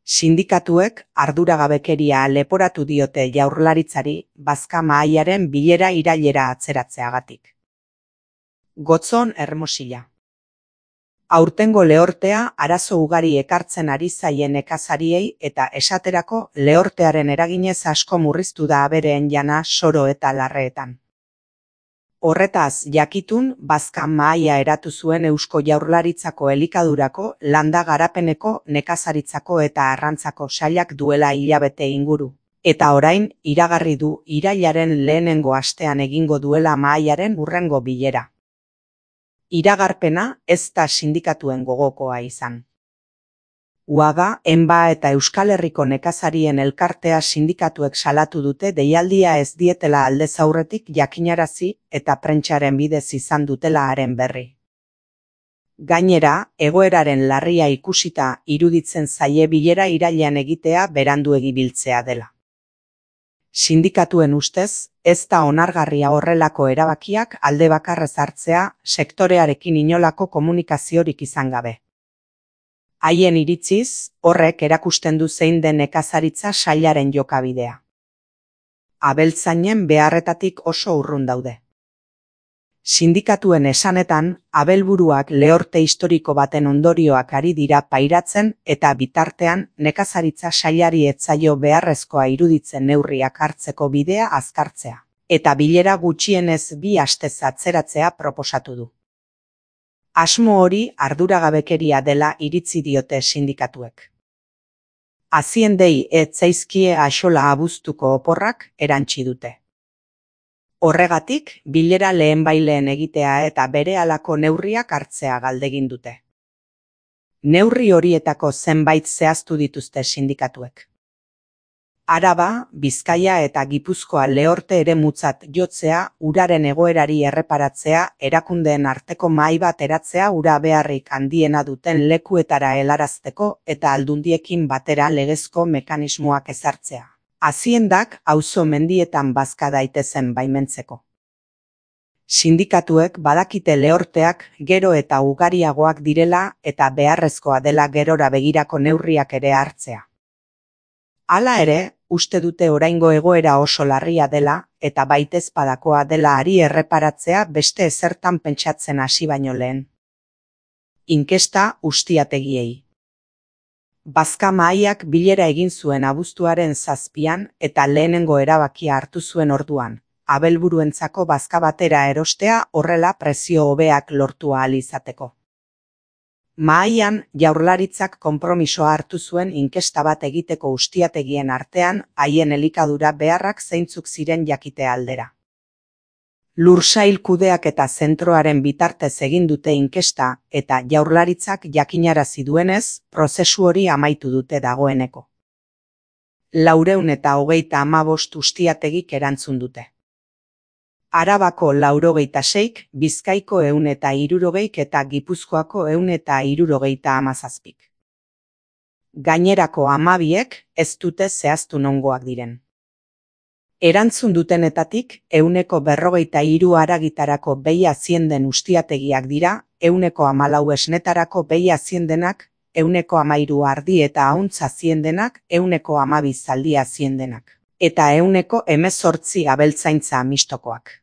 Sindikatuek arduragabekeria leporatu diote Jaurlaritzari bazka mahaiaren bilera irailera atzeratzeagatik. Gotzon Hermosilla. Aurtengo lehortea arazo ugari ekartzen ari zaien nekazariei eta esaterako lehortearen eraginez asko murriztu da abereen jana Soro eta Larreetan. Horretaz jakitun, bazka mahaia eratu zuen Eusko Jaurlaritzako elikadurako, landa garapeneko, nekazaritzako eta arrantzako sailak duela hilabete inguru. Eta orain, iragarri du irailaren lehenengo astean egingo duela mahaiaren hurrengo bilera. Iragarpena ez da sindikatuen gogokoa izan. UAGA, ENBA eta Euskal Herriko nekazarien elkartea sindikatuek salatu dute deialdia ez dietela aldez aurretik jakinarazi eta prentsaren bidez izan dutela haren berri. Gainera, egoeraren larria ikusita iruditzen zaie bilera irailean egitea beranduegi biltzea dela. Sindikatuen ustez, ez da onargarria horrelako erabakiak alde bakarrez hartzea sektorearekin inolako komunikaziorik izan gabe. Haien iritziz, horrek erakusten du zein den nekazaritza sailaren jokabidea. Abeltzainen beharretatik oso urrun daude. Sindikatuen esanetan, abelburuak lehorte historiko baten ondorioak ari dira pairatzen eta bitartean nekazaritza sailari ez zaio beharrezkoa iruditzen neurriak hartzeko bidea azkartzea, eta bilera gutxienez 2 astez atzeratzea proposatu du. Asmo hori arduragabekeria dela iritzi diote sindikatuek. Aziendei ez zaizkie axola abuztuko oporrak erantsi dute. Horregatik, bilera lehenbaileen egitea eta berehalako neurriak hartzea galdegin dute. Neurri horietako zenbait zehaztu dituzte sindikatuek. Araba, Bizkaia eta Gipuzkoa lehorte eremutzat jotzea, uraren egoerari erreparatzea, erakundeen arteko mahai bat eratzea ura beharrik handiena duten lekuetara helarazteko eta aldundiekin batera legezko mekanismoak ezartzea. Aziendak auzo mendietan bazka daitezen baimentzeko. Sindikatuek badakite lehorteak gero eta ugariagoak direla eta beharrezkoa dela gerora begirako neurriak ere hartzea. Hala ere, uste dute oraingo egoera oso larria dela eta baitezpadakoa dela hari erreparatzea beste ezertan pentsatzen hasi baino lehen. Inkesta ustiategiei. Bazka mahaiak bilera egin zuen abuztuaren 7an eta lehenengo erabakia hartu zuen orduan, abelburuentzako bazka batera erostea horrela prezio hobeak lortu ahal izateko. Mahaian, Jaurlaritzak konpromisoa hartu zuen inkesta bat egiteko ustiategien artean haien elikadura beharrak zeintzuk ziren jakite aldera. Lursail kudeaketa zentroaren bitartez egin dute inkesta eta Jaurlaritzak jakinarazi duenez, prozesu hori amaitu dute dagoeneko. 435 ustiategik erantzun dute. Arabako 406, Bizkaiko 160 eta Gipuzkoako 177. Gainerako 12ek ez dute zehaztu nongoak diren. Erantzun dutenetatik 143 haragitarako behi azienden ustiategiak dira, 114 esnetarako behi aziendenak, 113 ardi eta ahuntz aziendenak, 112 zaldi aziendenak, eta 118 abeltzaintza mistokoak.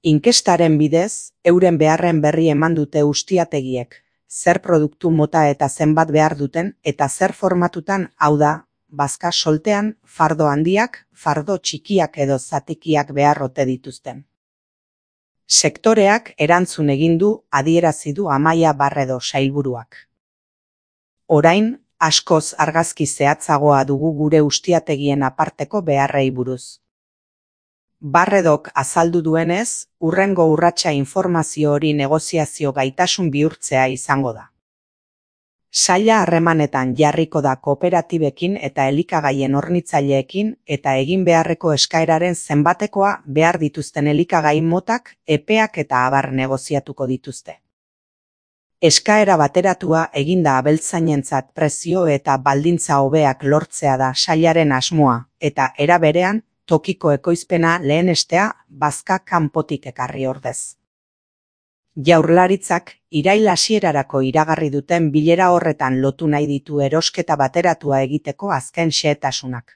Inkestaren bidez, euren beharren berri eman dute ustiategiek, zer produktu mota eta zenbat behar duten eta zer formatutan, hau da, bazka soltean, fardo handiak, fardo txikiak edo zatikiak behar ote dituzten. Sektoreak erantzun egin du, adierazi du Amaia Barredo sailburuak. Orain, askoz argazki zehatzagoa dugu gure ustiategien aparteko beharrei buruz. Barredok azaldu duenez, hurrengo urratsa informazio hori negoziazio gaitasun bihurtzea izango da. Saila harremanetan jarriko da kooperatibekin eta elikagaien hornitzaileekin eta egin beharreko eskaeraren zenbatekoa behar dituzten elikagai motak, epeak eta abar negoziatuko dituzte. Eskaera bateratua eginda abeltzainentzat prezio eta baldintza hobeak lortzea da sailaren asmoa eta era berean, tokiko ekoizpena lehenestea bazka kanpotik ekarri ordez. Jaurlaritzak irail hasierarako iragarri duten bilera horretan lotu nahi ditu erosketa bateratua egiteko azken xehetasunak.